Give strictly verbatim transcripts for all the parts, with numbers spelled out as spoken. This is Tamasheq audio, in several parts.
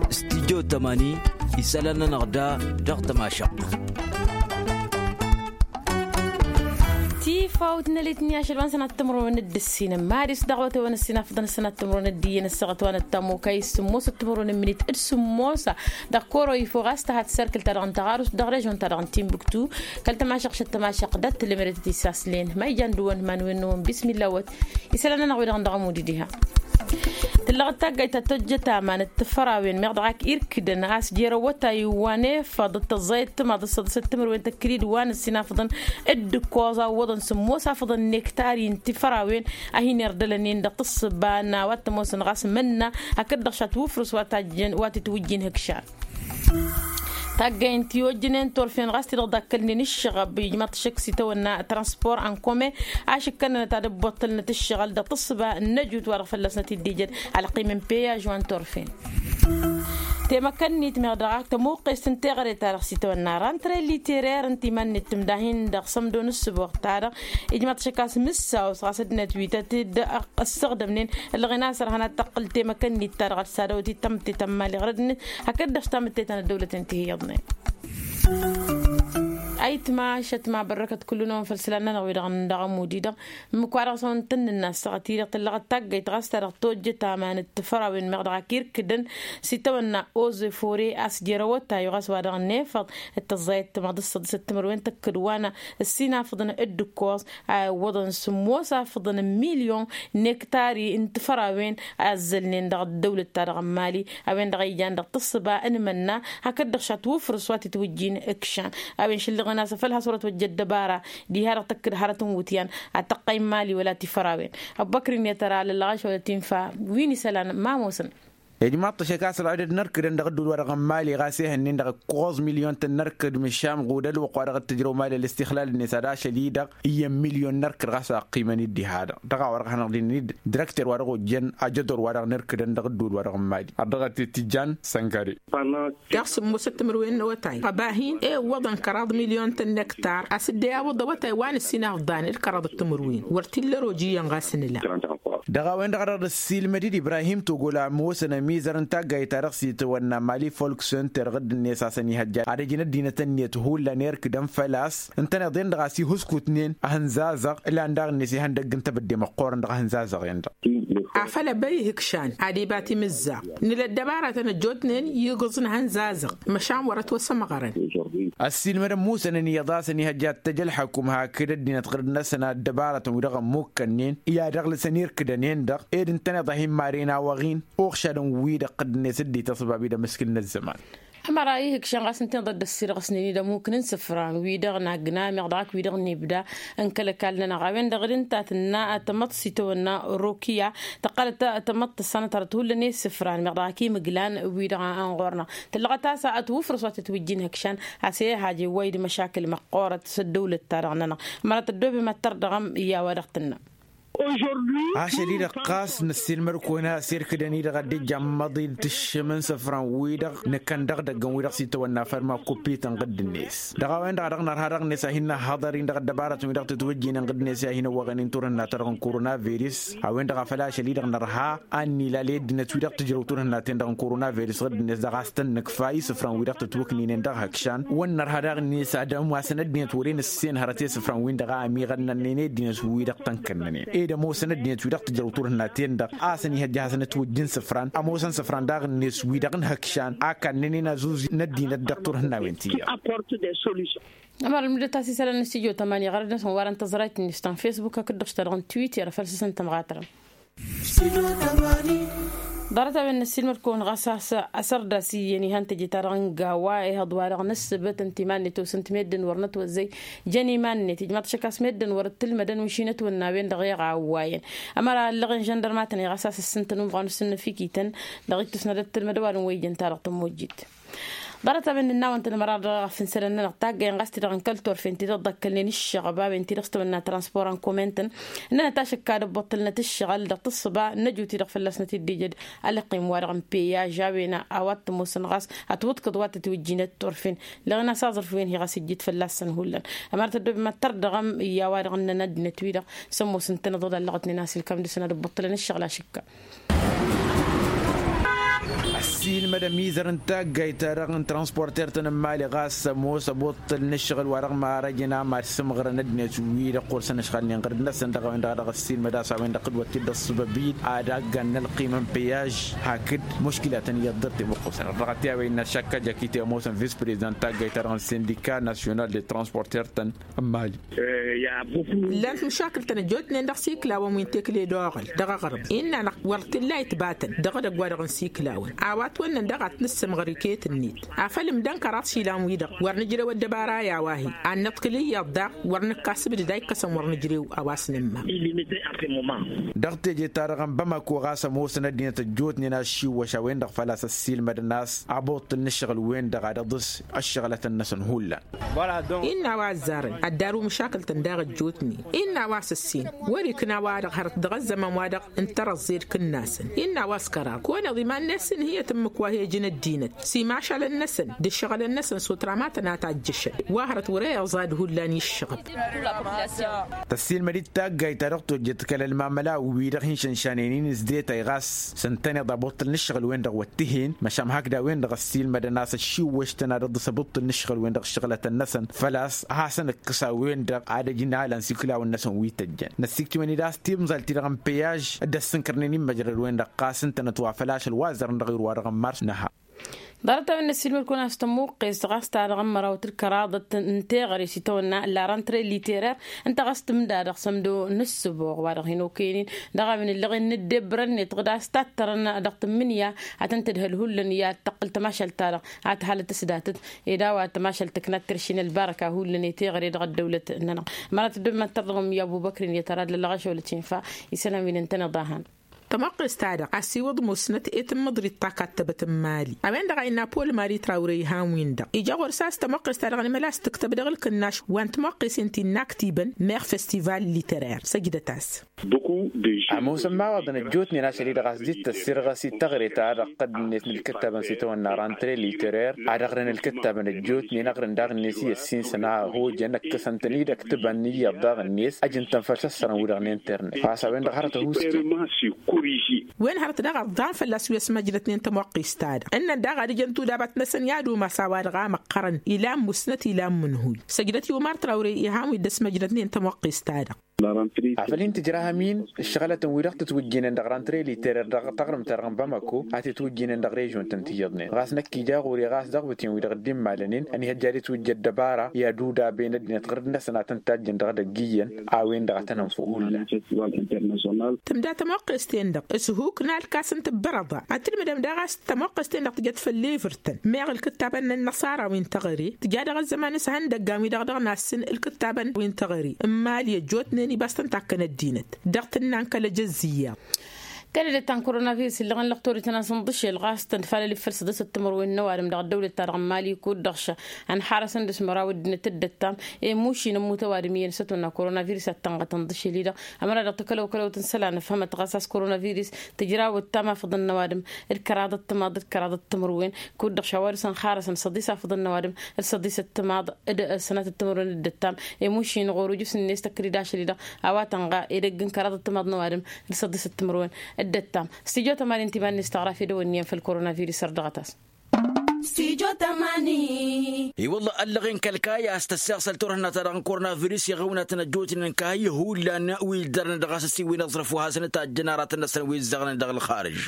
Studyo tămani isălan-nănăɣ da dăɣ-tămašăɣt. Tifawt n-elăyt-nni ašăl wa n-sănat timǝrwen d-ǝssin n-madis dăɣ-wătewăn ǝssin afḍăn sănat timǝrwen d-iyyăn ǝssăɣăt wa n-ăttămokay s-sǝmmos timǝrwen n-minit d-sǝmmos. Dăɣ-koro ifo ɣas tăhat serkǝl-ta-dăɣ n-taɣarust dăɣ-režon-ta-dăɣ n-timbuktu. Kăl-tămašăɣ šăt tămašăɣ dat-tǝlmǝdăt tisaslen ma ijan dăɣ-wăn ma n-wen n-wăn bismilla wăt. Isălan-nănăɣ wi-dăɣ n-dăɣ ămud-i diha. Tǝllăɣ d-taggayt ta tojjăt aman d-tifărawen meɣ dăɣ-ak irkǝdăn a-s jer-awătay wa n-efăḍ d-tăẓẓayăt timaḍ d-săḍǝsăt timǝrwen tăkkǝd-dd wa n-ǝssin afḍăn. D-ǝkkoẓ a ǝwwăḍăn sǝmmos afḍăn n-ektari n-tifărawen a hin-irdălăn-in dăɣ-tǝssǝba n-a-wa t-ămoosăn ɣas mănna hakd-dăɣ šat wǝfrǝs wa tajjăn wa t-itwǝjjin hǝkšan. Taggay n-tiwăjjǝnen turfen ɣas ti-dăɣ dd-akkălnen ǝššăɣăb ijmaḍ-t šăkk s-itawănna transport en commun. Ašǝkkănănăt ad-ăbboṭṭălnăt ǝššăɣǝl dăɣ-tǝssǝba n-ăjut wa dăɣ-fălla-snăt dd-ijăd alqim n-peyaj wa n-turfen. Temăkănnit meɣ dăɣ-ak tămuqqest n-teɣăre-ta-dăɣ s-itawănna rantre literer ǝnta iman-net tǝmdahin dăɣ-sămdo n-ǝssǝboɣ-ta-dăɣ. Ijmaḍ-t šăkk a-s mǝssaw-s ɣas ăddinăt wi tăt-dd-ăssăɣdămnen. Ǝlleɣ-in a-s ărhan ad-tăqqǝl temăkănnit-ta-dăɣ ad-s ad-ăwăt-dd tamǝtte ta n-imali ɣur-ăddinăt hakd-dăɣ tamǝtte ta n-ăddăwlăten ti hi-iyyăḍnen. Ayǝtma šătma bărrăkăt kullu-năwăn făll-isălan-nănăɣ wi-dăɣ n-dăɣ ămud-i-dăɣ. Ǝmmǝk-wa-dăɣ s-a-wen tăn-nǝnna ăssaɣăt-i-dăɣ tǝllăɣăt taggayt ɣas ta dăɣ-tojjăt aman d-tifărawen meɣ dăɣ-ak irkǝdăn s-itawănna oze fore a-s jer-awătay ɣas wa dăɣ-nefăḍ d-tăẓẓayăt timaḍ d-săḍǝsăt timǝrwen tăkkǝd wa n-ǝssin afǝḍăn d-ǝkkoẓ a iwwăḍăn sǝmmos afǝḍăn n-milyon n-ektari n-tifărawen a ăzzălnen dăɣ-ăddăwlăt-ta-dăɣ n-mali. A-wen-dăɣ a ijan dăɣ-tǝssǝba n-imănna hakd-dăɣ šat wǝfrǝs wa t-itwǝjjin ǝkšan. A-wen šǝllăɣăn a-s afăl has-wăr-ătwăjja ăddăbara diha-dăɣ tăkk-dd hărăt n-iwǝtyan ad-tăqqay n-mali wăla tifărawen. Ăbubăkr-in i-tăra lăllăɣaš wăla tinfa wi n-isălan ma ămoosăn. Ijmaḍ-t ăššăk a-s ălɣădăd n-ărkǝdăn dăɣ-ǝddul wa dăɣ-n mali ɣas ehăn-in-dăɣ ǝkkoẓ milyon-tăn n-ărkǝd măšan ɣud ălwăqq wa dăɣ-tǝjrăw mali ălistixlal-net ad-ašăl-i-dăɣ iyyăn milyon n-ărkǝd ɣas a ăqqimăn-dd diha-dăɣ dăɣ-a-wa dăɣ-hanăɣ-dd-nǝnid. Dirăkter wa dăɣ-ojjăn ajădor wa dăɣ-nărkǝdăn dăɣ-ǝddul wa dăɣ-n mali ărdăɣăt i-tijjan sănkare. Daɣ sǝmmosăt timǝrwen n-awătay ăba hin-e ǝwwăḍăn kăraḍ milyon-tăn n-ektar a-s dd-e-awǝḍ awătay wa n-ǝssin afḍan d-kăraḍ d-timǝrwen wăr t-illa ărooj iyyăn ɣas ǝnǝla. Dăɣ-a-wen-dăɣ a dăɣ-dd-ăssiilmăd-dd ibrahim togol a ămoosăn ămizăr n-taggayt-ta-dăɣ s-itawănna mali folk center ɣǝdd-net a-s ănihăjja ad-ăj n-ăddinăt-net hullan irkǝdăn făl-a-s ǝntăneḍ-en-dăɣ a-s ihǝskutnen ahǝnzazăɣ. Ǝlan daɣ-net ihăndăgg n-tebădde măqqoorăn dăɣ-ahǝnzazăɣ-en-dăɣ. Afăl ăbăy ihǝkšan ad-iba timǝzzaɣt nǝla ăddăbaratăn ăjjootnen igǝẓ n-ahǝnzazăɣ măšan wăr-ătwăsămɣărăn. Ăssiilmădăn musănăn iyyăḍ a-s ănihăjja ad-t-ăj ălxăkum hakd ăddinăt ɣǝrǝd-năsăn ăddăbaratăn wi-dăɣ ămmukkănnen i-ad-ăɣlǝsăn irkǝdăn-en-dăɣ ed ǝntăneḍ a hin-maren awăɣ-in. Uɣšadăn wi-dăɣ ɣǝdd-net dd-ităṣbab-dd amǝskǝl n-ăzzăman. Ămăra ihǝkšan ɣas ǝntăneḍ a dd-ăssirɣǝsnen-dd ămukǝn n-isǝfran wi-dăɣ n-agna meɣ dăɣ-ak wi-dăɣ n-ibda n-kăl-ăkall-nănăɣ a-wen-dăɣ d-ǝnta tǝnna ad-tamăḍt s-itawănna rokiya tăqqălăt tamăḍt tăssanăt hărăt hullan i-isǝfran meɣ dăɣ-ak imǝglan wi-dăɣ n-ɣur-năɣ. Tǝllăɣăt a-s ătwǝfrǝs wa tătwǝjjin ihǝkšan a-s e-haj iwway d-măšakǝl măqqoorăt s-ăddăwlăt-ta-dăɣ-nănăɣ. Ămăra tăddoobem ad-tărdăɣăm i-a-wa dăɣ-tǝnnăm. Ožordu a-s ălilăɣ ɣas năssiilmăd-kăwăn a-s irkǝdăn-i-dăɣ a dd-ijja ămmăḍi d-tǝššǝm n-isǝfran-wi-dăɣ nǝkăn dăɣ-idăggăn-wi-dăɣ s-itawănna făll-makuppităn ɣǝdd-net. Dăɣ-a-wen-dăɣ a dăɣ-nărha dăɣ-net a hin-năhhăḍăr-in dăɣ-ăddăbarătăn-wi-dăɣ tǝtwǝjjǝynen ɣǝdd-net i-ad-hin-ăwwăɣăn turhǝnna-ta-dăɣ n-koronavirus. A-wen-dăɣ a făl ašăl-i-dăɣ nărha ad-nilal i-ăddinăt-wi-dăɣ tǝjrăw turhǝnna-ten-dăɣ n-koronavirus ɣǝdd-net dăɣ-a-s tăn-nǝkfa isǝfran-wi-dăɣ tǝtwǝkninen dăɣ-ihǝkšan wăr nărha daɣ-net ad-ămoosăn ăddinăt wăren ǝssen hărăt i-isǝfran-win-dăɣ a ămiɣănnănnen i-ăddinăt-wi-dăɣ tăn-kănnănen ed ămoosăn ăddinăt-wi-dăɣ tǝjrăw turhǝnna-ten-dăɣ a-s ănihăjja ad-hasăn-ătwǝjj n-isǝfran ămoosăn isǝfran daɣ-net wi-dăɣ n-ihǝkšan a kannănen azuzi n-ăddinăt dăɣ-turhǝnna-wen ti-iyyăḍ. Ămăra ălmǝdăt a-s isălan n-studyo tămani ɣărăd-năsăn wa dăɣ-n tăẓrayt-net ta n-facebook hakd-dăɣ s-ta-dăɣ n-twitter făl s-săn tămɣatărăm. Ḍarăt-a-wen năssiilmăd-kăwăn ɣas a-s asărdas iyyăn ihăn teje-ta-dăɣ n-gawa ihăḍ-wa-dăɣ n-ǝssǝbǝt ǝnta iman-net osǝnt meddǝn wăr nătwăzzăy. Jăn iman-net ijmaḍ-t šăkk a-s meddǝn wăr ǝttǝlmădăn wi šinăt wănna a-wen-dăɣ iɣawwayăn. Ămăra ăllăɣen žăndărmatăn i-ɣas a-s ǝssǝntăn umɣan usǝnnăf ikităn dăɣ-ittǝsnăd ăttǝlmăd ăwadǝm wa ijăn-ta-dăɣ tămmojjit. Ḍarăt-a-wen nǝnnawăn-tăn ămăra dăɣ-afǝnsălăn-nănăɣ taggăyăn ɣas ti-dăɣ n-kăl-turfen ti-dăɣ dd-ăkkălnen ǝššăɣăb a-wen ti-dăɣ s-tăwănna transport n-comentăn. Ǝnnănăt ašăkka d-ăbbuṭṭǝlnăt ǝššăɣǝl dăɣ-tǝssǝba n-ăjut-i-dăɣ fălla-s năt-dd-ijăd ălqim-wa-dăɣ n-peyaj a-wen a-wa t-ămoosăn ɣas ătwǝḍkǝḍ wa tătwǝjjinăt turfen. Lăɣen a-s aẓrǝf wi-wen hi-ɣas ǝjjǝd fălla-săn hullan. Ămăra tăddoobem ad-tărdăɣăm i-a-wa-dăɣ ǝnnăn ăddinăt-wi-dăɣ s-ămoosăn-tăn ăḍoḍ a ǝllăɣătnen a-s ilkam dăr-săn ad-ăbbuṭṭǝlăn ǝššăɣǝl ašǝkka. Ăssiilmăd ămizăr n-taggayt-ta-dăɣ n-transporter-tăn n-imali ɣas ămoos ăbuṭṭǝl n-ǝššăɣǝl wa-dăɣ marăjăn a mad-sǝmɣărăn ăddinăt-wi-dăɣ ɣur-săn ăšɣalnen ɣǝrǝd-năsăn dăɣ-a-wen-dăɣ a dăɣ-ăssiilmăd a-s a-wen-dăɣ tǝdwăt-t-dd ăṣṣăbăb-in ad-aggan n-ălqima n-peyyaž hakd muškǝlatăn iyyăḍ dăr-temăqqusăn dăɣ-t i-a-wa innă ăššakkăja kite ămoosăn vis-prezidant taggayt-ta-dăɣ n-sindika nasyonal de transporter-tăn n-imali. Llan timšakǝl-tăn ăjjootnen dăɣ-siklawăn wi n-tekle d-oɣăl dăɣ-aɣrǝm innă-năɣ wăr t-illa itbatăn dăɣ-edăgg-wa-dăɣ n-siklawăn a-wa ătwănnăn daɣ ad-t-nǝssǝmɣăr iket-net afăl ǝmdăn kăraḍ išilan-wi-dăɣ wăr nǝjrew ăddăbara i-a-wa hi-ad-nǝḍkǝl iyyăḍ daɣ wăr nǝkkasǝbdǝd a ikkăsăn wăr nǝjrew a-wa s-nǝmmam. Dăɣ-teje-ta-dăɣ n-bamako ɣas ămoosăn ăddinăt ăjjootnen aššiwwăš a-wen-dăɣ făl-a-s ăssiilmădăn a-s aboṭṭǝl n-ǝššăɣǝl-wen-dăɣ ad-iḍǝs ăššăɣlătăn-năsăn hullan. Innă a-wa ăzzarăn ăddarǝw măšakǝl-tăn daɣ ăjjootnen innă a-wa s-ǝssin wăr-ikna a-wa-dăɣ hărăt dăɣ-ăzzăman-wa-dăɣ n-tărăẓẓe d-ikǝnnasăn innă a-wa s-kăraḍ kăwăneḍ iman-net s-inhǝyăt ǝmmǝk wa he-ǝjǝn ăddinăt s-imašalăn-năsăn d-ǝššăɣǝlăn-năsăn s-otramatăn a tajjăšăn wa hărăt wăr-e iẓad hullan iššăɣăb. Tăssiilmăd-dd taggayt ta dăɣ-tojjă d-kăl-ălmamăla wi-dăɣ hin-šănšanen-in s-detay ɣas s-ǝntăneḍ abuṭṭǝl n-ǝššăɣǝl-wen-dăɣ wăt t-hen măšan hakd a-wen-dăɣ ăssiilmădăn a-s ăššiwwăš-tăn ad-iḍǝs abuṭṭǝl n-ǝššăɣǝl-wen-dăɣ ǝššăɣlătăn-năsăn făl-a-s ad-hasăn-ǝkkǝs a-wen-dăɣ ad-ăj n-alăn s-iklawăn-năsăn wi tăjjăn năssiiktǝwăn-dd a-s timẓalt-ti-dăɣ n-peyyaž d-ăssǝnkărnen imăjrăd-wen-dăɣ ɣas ǝntănăt wa făl ašăl wa ăzzărăn dăɣ-irwa-dăɣ n-mars nǝha. Ḍarăt-a-wen n-ăssiilmăd-kăwăn a-s tămuqqest ɣas ta-dăɣ ămmăraw d-kăraḍăt n-teɣăre s-itawănna la rantăre literer ǝnta ɣas tǝmda dăɣ-sămdo n-ǝssǝboɣ wa-dăɣ hin-okăyăn-in dăɣ-a-wen ǝllăɣen n-ăddebbărăn-net ɣǝd a-s tattărăn dăɣ-tǝmmǝnǝya ad-tăn-tǝdhăl hullan i-ad-tăqqǝl tămašalt-ta-dăɣ ad-t-halăt s-datăt ed a-wa tămašalt tǝknat tirši n-ălbarăka hullan i-teɣăre dăɣ-ăddăwlăt-nănăɣ. Mărat dd-măttăr dăɣ-ămmi abu băkrin i-tăra d-lălɣăšăwăl cinfa isălan wi n-ǝntăneḍ a han. Tămoqqest-ta-dăɣ a-s iwǝḍ musnăt i-tǝmmǝḍrit ta kattăbăt n-imali a-wen-dăɣ a innă pol mali trawre ihan-win-dăɣ ija ɣur-s a-s tămoqqest-ta-dăɣ n-imăla a-s tǝktăb dăɣ-ǝlkǝnnaš wa n-tămoqqesen ti n-inaktibăn meɣ festival literer săjdăt-as. Ămoosăn imawaḍăn ăjjootnen ašăl-i-dăɣ a-s dd-tăssirɣăs i-teɣăre-ta-dăɣ tădd-net n-ǝlkǝttabăn s-itawănna rantre literer ad-ăɣrǝn ǝlkǝttabăn ăjjootnen ăɣrǝn daɣ-net i-ăssinsăn a hojăn ǝkkăsăn-tăn-dd ăktǝbăn iyyăḍ daɣ-net ăj n-tăn făll-săssărăn wi-dăɣ n-internet ɣas a-wen-dăɣ hărăt ăhuusken. Wen hărăt daɣ ăḍḍan fălla-s wi ăsmăjrătnen tămoqqist-ta-dăɣ ǝnnăn daɣ ad-ǝjăn tudabat-năsăn i-ad-umas a-wa-dăɣ a măqqărăn ilan musnăt ilan mǝnhuy săjdăt i-umar trawre ihan wi dd-ăsmăjrătnen tămoqqist-ta-dăɣ. Afăl hin-tǝjrahăm-in ǝššăɣlătăn wi-dăɣ tǝtwǝjjǝynen dăɣ-rantre literer dăɣ-taɣrǝmt-ta-dăɣ n-bamako a t-itwǝjjǝynen dăɣ-režion-tăn tiyyăḍnen ɣas năkk ija ɣur-e ɣas dăɣ-bǝtǝn-wi-dăɣ dd-immalăn-in ănihăjja ad-itwǝjja ăddăbara i-ad-udaben ăddinăt ɣǝrǝd-năsăn ad-tăn-tajjăn dăɣ-edăgg iyyăn a-wen-dăɣ a tăn-ănfă hullan. Tǝmda tămoqqes-ten-dăɣ s-huk n-alkas n-tǝbbărăḍa ad-tǝlmǝdăm daɣ a-s tămoqqes-ten-dăɣ tǝjăt făll-evǝrtăn meɣ ǝlkǝttabăn n-ănnăṣara wi n-teɣăre tǝja dăɣ-ăzzăman s-ihăndăggan wi-dăɣ dăɣ-nasǝn ǝlkǝttabăn wi n-teɣăre n-imali ăjjootnen ibas tăn-takkăn ăddinăt dăɣ-tǝnna n-kăl-ejăzz iyyăḍ. Kăl-edăt ta n-koronavirus illăɣăn lăqtor itănasăn ḍǝšel ɣas tăn-falăl iffăl săḍisăt timărwen n-ăwadǝm dăɣ-ăddăwlăt-ta-dăɣ n-imali kud-dăɣ šăn ănḥarăsăn d-asmăraw ăddinăt d-ăttam i-mušin ămmut ăwadǝm iyyăn s-ătwănna koronavirus ad-tănɣătăn ḍǝšel-i-dăɣ. Ămăra dăɣ-takălăwkălăwt n-isălan ăfhămăt ɣas a-s koronavirus tǝjrawăt tama făḍăn n-ăwadǝm d-kăraḍăt timaḍ d-kăraḍăt timărwen kud-dăɣ šawa dăr-săn xarăsăn săḍis afăḍăn n-ăwadǝm d-săḍis ăttimaḍ d-sănatăt timărwen d-ăttam. Emušin ɣur-ujǝs-net ăkkăd-dd ašăl-i-dăɣ a-wa tănɣa edăgg n-kăraḍăt timaḍ n-ăwadǝm d-săḍis ăttimărwen d-ăttam. Stijo tămanin timan-net tăɣraf edăwănniyăn făll-koronavirus ărdăɣăt-as. Stijo tămani. I-wălla ăllăɣen kăl-kayy a-s tăsseɣsăl turhǝnna-ta-dăɣ n-koronavirus i-ɣăwnatăn ăjjootnen kayy hullan wi ǝldarnen dăɣ-asǝssiwin aẓrǝf wa hasăn-ǝtajjăn aratăn-năsăn wi ǝzzaɣnen dăɣ-ǝlxarǝj.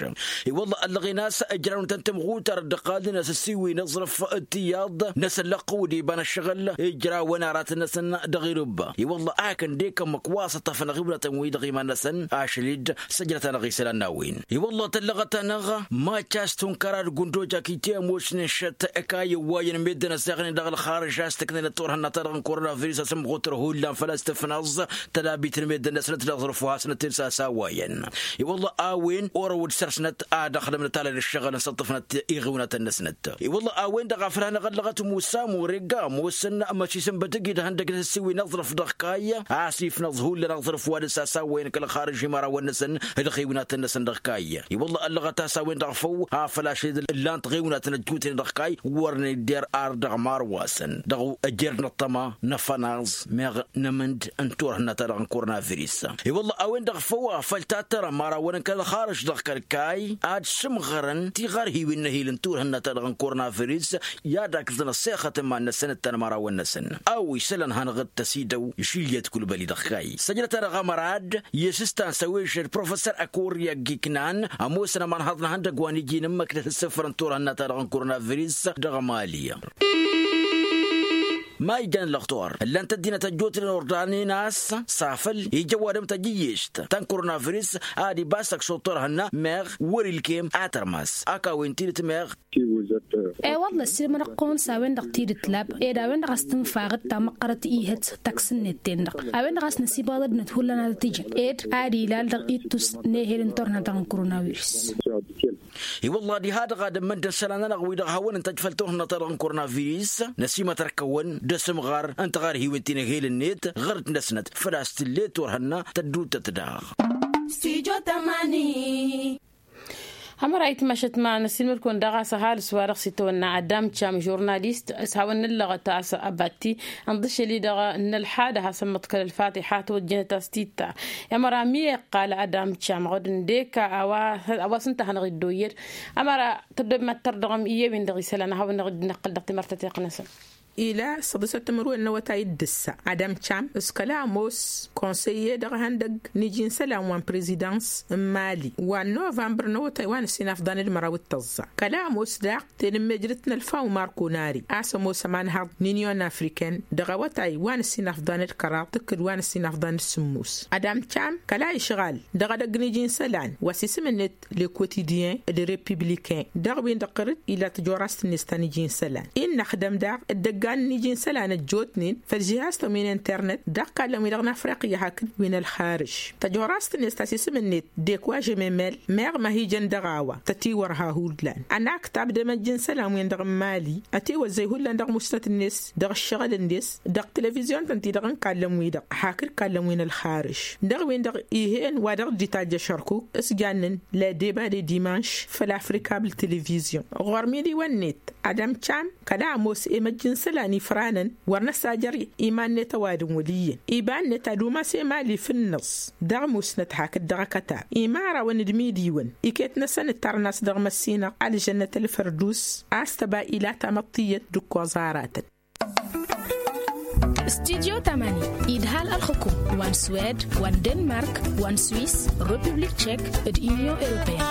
I-wălla ăllăɣen a-s ǝjrawnătăn timɣutar dd-ăqqalnen asǝssiwin aẓrǝf d-tiyyăḍ n-asăllăqqăw d-iba n-ăššăɣǝl ǝjrawăn aratăn-năsăn dăɣ-irǝbba. I-wălla a kăndek ămmăk wa s-ăṭṭăfăn aɣǝwnatăn-wi-dăɣ iman-năsăn ašăl-dd săjdăt-anăɣ isălan n-a-wen. I-wălla tăllăɣăt-anăɣ maččas tunkăra d-gundoj akite ămoosnen šăt ăkayy ăwwayăn meddǝn ăsseɣnen dăɣ-ǝlxarǝj a-s tǝknănăt turhǝnna-ta-dăɣ n-koronavirus asǝmɣutăr hullan făl-a-s tǝfnăẓ tădabit n-meddǝn-năsnăt d-aẓrǝf wa hasnăt-dd s-asawayăn. I-wălla a-wen orăw d-săr-snăt ad-ăxdămnăt alăn ǝššăɣǝl n-săṭṭăfnăt iɣǝwnatăn-năsnăt. I-wălla a-wen-dăɣ a făl hanăɣ-ăllăɣăt musa murega ămoosăn măšisǝnbăt ǝgg-i d-ihăndăg n-asǝssiwin aẓrǝf dăɣ-kayy a-s ifnăẓ hullan aẓrǝf wa dăr-s asawayăn kăl-xarǝž imărawăn-năsăn d-iɣǝwnatăn-năsăn dăɣ-kayy. I-wălla ăllăɣăt a-s a-wen-dăɣ făw a făl ašăl-i d-ǝllan tiɣǝwnatăn ăjjuutnen. dăɣ-kayy wăr nǝdder ar dăɣ-imar wa-săn dăɣ-ejăr n-ăṭṭăma n-afănaẓ meɣ n-amǝnd n-turhǝnna-ta-dăɣ n-kornaviris. I-wălla a-wen-dăɣ făw a făl tattărăm arawăn n-kăl-ălxarǝš dăɣ-kăl-kayy ad-sǝmɣărăn tiɣărhiwen n-ehil n-turhǝnna-ta-dăɣ n-kornaviris i-ad-akǝẓăn ăssexăt n-iman-năsăn d-tanmărawăn-năsăn a-wa isălan hanăɣ-dd-tăsidăw išilyăt kulbăli dăɣ-kayy săjdăt-anăɣ amărad i-asǝstan s-ăwešăd professor ăkoriya giknan ămoosăn ămanhaḍ n-ehăndăgg wa n-iji n-ǝmmăknăt ǝssǝfrăn turhǝnna-ta-dăɣ n-kornaviris dăɣ-emali. Ma ijăn lăxtor ǝllan-t ăddinăt ăjjootnen ordanen a-s s-afăl ija ăwadǝm tajǝyyešt ta n-kornaviris ad-ibas ăkšuḍ turhǝnna meɣ wăr-ilkem a tărmas ak a-wen tidǝt meɣ. E-wălla ăssiilmănăɣ-kăwăn s-a-wen-dăɣ tidǝt lab ed a-wen-dăɣ a-s tǝnfaɣ d-tamăqqărăt ihăt taksǝnnet-ten-dăɣ a-wen-dăɣ a-s năsibăɣăd ăddinăt hullan ad-t-ǝjǝn ed ad-ilal dăɣ-ittus n-ehel n-turhǝnna-ta-dăɣ n-kornaviris. I-wălla diha-dăɣ ad-ǝmmǝndăn isălan-nănăɣ wi-dăɣ hawăn-ǝntăj făll-turhǝnna-ta-dăɣ n-kornaviris năsimătăr-kăwăn d-asǝmɣar n-tiɣărhiwen ti n-ehel-net ɣur-dd-năsnăt făl-a-s tǝlle turhǝnna tădduuttăt daɣ. Stujo tamani. Ămăra itmašăt ma năssiilmăd-kăwăn daɣ a-s ăhalǝs wa dăɣ-s itawănna adam cam žurnalist s-hawăn-nǝllăɣăt a-s abatti ănḍǝššăl-i-dăɣ n-ălxadăh a-s ămmăḍkăl ălfatiḥa tawăjjănăt a-s titta. Ămăra mi iqqal adam cam ɣud ǝndek a-wa s-ǝnta a hanăɣ-iddoyyăd. Ămăra tăddob mad-tărdăɣăm i-ewin dăɣ-isălan a hawăn-năɣ-dd-năqqǝl dăɣ-timărtăt iqqǝnăsăn. Ila s-ăḍǝsăt timǝrwen n-awătay d-ǝssa adam cam s-kăla ămoos konsăyye dăɣ-ihăndăgg n-iji n-isălan wa n-prezidans n-mali wa n-novămbăr n-awătay wa n-ǝssin afḍan d-măraw d-tăẓẓa kăla ămoos daɣ tenǝmmejrăt n-ălfa umar konari a-s ămoos ămanhăḍ n-inyon afriken dăɣ-awătay wa n-ǝssin afḍan d-kăraḍ tǝkkǝd wa n-ǝssin afḍan d-sǝmmos. Adam cam kăla išɣal dăɣ-edăgg n-iji n-isălan wa s-isǝm-net lekotidyen d-republiken dăɣ-win-dăɣ ɣur-dd ila tăjorast-net ta n-iji n-isălan innăxdăm daɣ d-ăggan n-iji n-isălan ăjjootnen făll-žihaz-tăn wi n-internet dăɣ-ikallăn-wi-dăɣ n-afriqya hakd wi n-ălxarǝž. Tăjorast-net ta s-isǝm-net dekwa žememel meɣ ma hi-jăn dăɣ-a-wa tătiwărha hullan ănaktab d-emăjj n-isălan-wen-dăɣ n-mali ătiwăzzăy hullan dăɣ-musnăt-net dăɣ-ǝššăɣǝl-net dăɣ-televizyon-tăn-ti-dăɣ n-ikallăn-wi-dăɣ hakd ikallăn wi n-ălxarǝž dăɣ-win-dăɣ ih'-en wa dăɣ-dd-itajj ašărkuk s-jannen la deba de dimanš făll-afrikabl televizyon ɣur-midiwăn-net. Ad-ămcam kăla ămoos emăjj n-isălan ifranăn wăr năsajăr iman-net ăwadǝm wăl' iyyăn iba-net ad-umas emali fǝnnăẓ dăɣ-musnăt hakd dăɣ-akătab imarawăn d-imidiwăn iket-năsăn ǝttarăn a-s dăɣ-măssinăɣ ălžănnăt ălfărdus a-s tăba ila tamăḍt iyyăt d-ǝkkoẓ aratăn. Studyo tamani idhal ălxukum wa n-swed wa n-denmark wa n-swis, republik tchek, d-inyon europeyăn.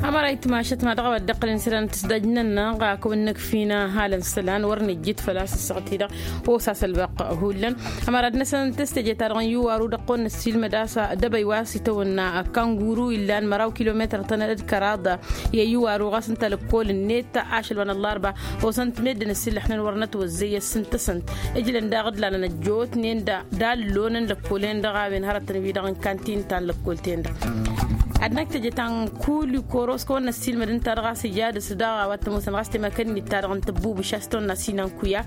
Ămăra itmašăt ma dăɣ-a-wa dd-iqqălăn isălan n-tisdajnăn-nănăɣ a kăwăn-năkf'-in ăhalăn isălan wăr nǝjjǝt făl-a-s ăssaɣt-i-dăɣ osa s-ălwăqq hullan. Ămăra ad-năsăn tǝstăje-ta-dăɣ n-iwaru dăɣ-kăwăn-năssiilmăd a-s dăbăy wa s-itawănna kanguru illan măraw kilometăr-tăn d-kăraḍ i-iwaru ɣas ǝnta lăkkol-net ašăl wa n-ăllarba. Osăn-t meddǝn ăsillăxnen wăr nătwăzzăy ăssintăsăn ǝjlăn daɣ d-lanăn ăjjootnen d-allonăn lăkkolen-dăɣ a-wen hărătăn wi-dăɣ n-kantin ta n-lăkkol-ten-dăɣ. Ad-năkk teje ta n-kuli koros kăwăn-năssiilmăd ǝnta-dăɣ a-s ija dăɣ-s daɣ a-wa t-ămoosăn ɣas temăkănnit-ta-dăɣ n-tăbbubǝš a-s tăwănna sinan kuya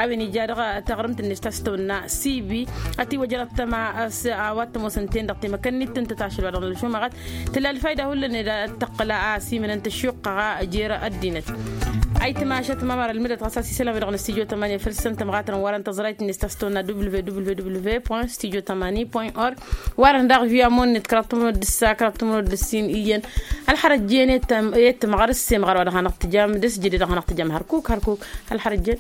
a-wen ija dăɣ-taɣrǝmt-net ta s-tăwănna sibi. Ătiwăjrăt tăma a-s a-wa t-ămoosăn-ten-dăɣ temăkănnit tǝntăt ašăl wa dăɣ-nălšumăɣăt tǝla ălfayda hullan ed ad-tăqqǝl a-s imǝnăn tăššuqqăɣ jer-ăddinăt. Ayǝtmašăt ma măra ǝlmǝdăt ɣas a-s isălan-wi-dăɣ n-ăssijo tămani făll-săn tămɣatăn wărăn tăẓrayt-net ta s-tăwănna www point studio tămani point org. Wărăn daɣ via mon-net kăraḍ tămănot d-ǝssa kăraḍ tămănot d-ǝssin iyyăn ălxărăt jen i-tămɣăr ǝssemɣăr wa dăɣ-hanăɣ-tǝjam d-ăsjăde dăɣ-hanăɣ-tǝjam hărkuk hărkuk. Ălxărăt jen.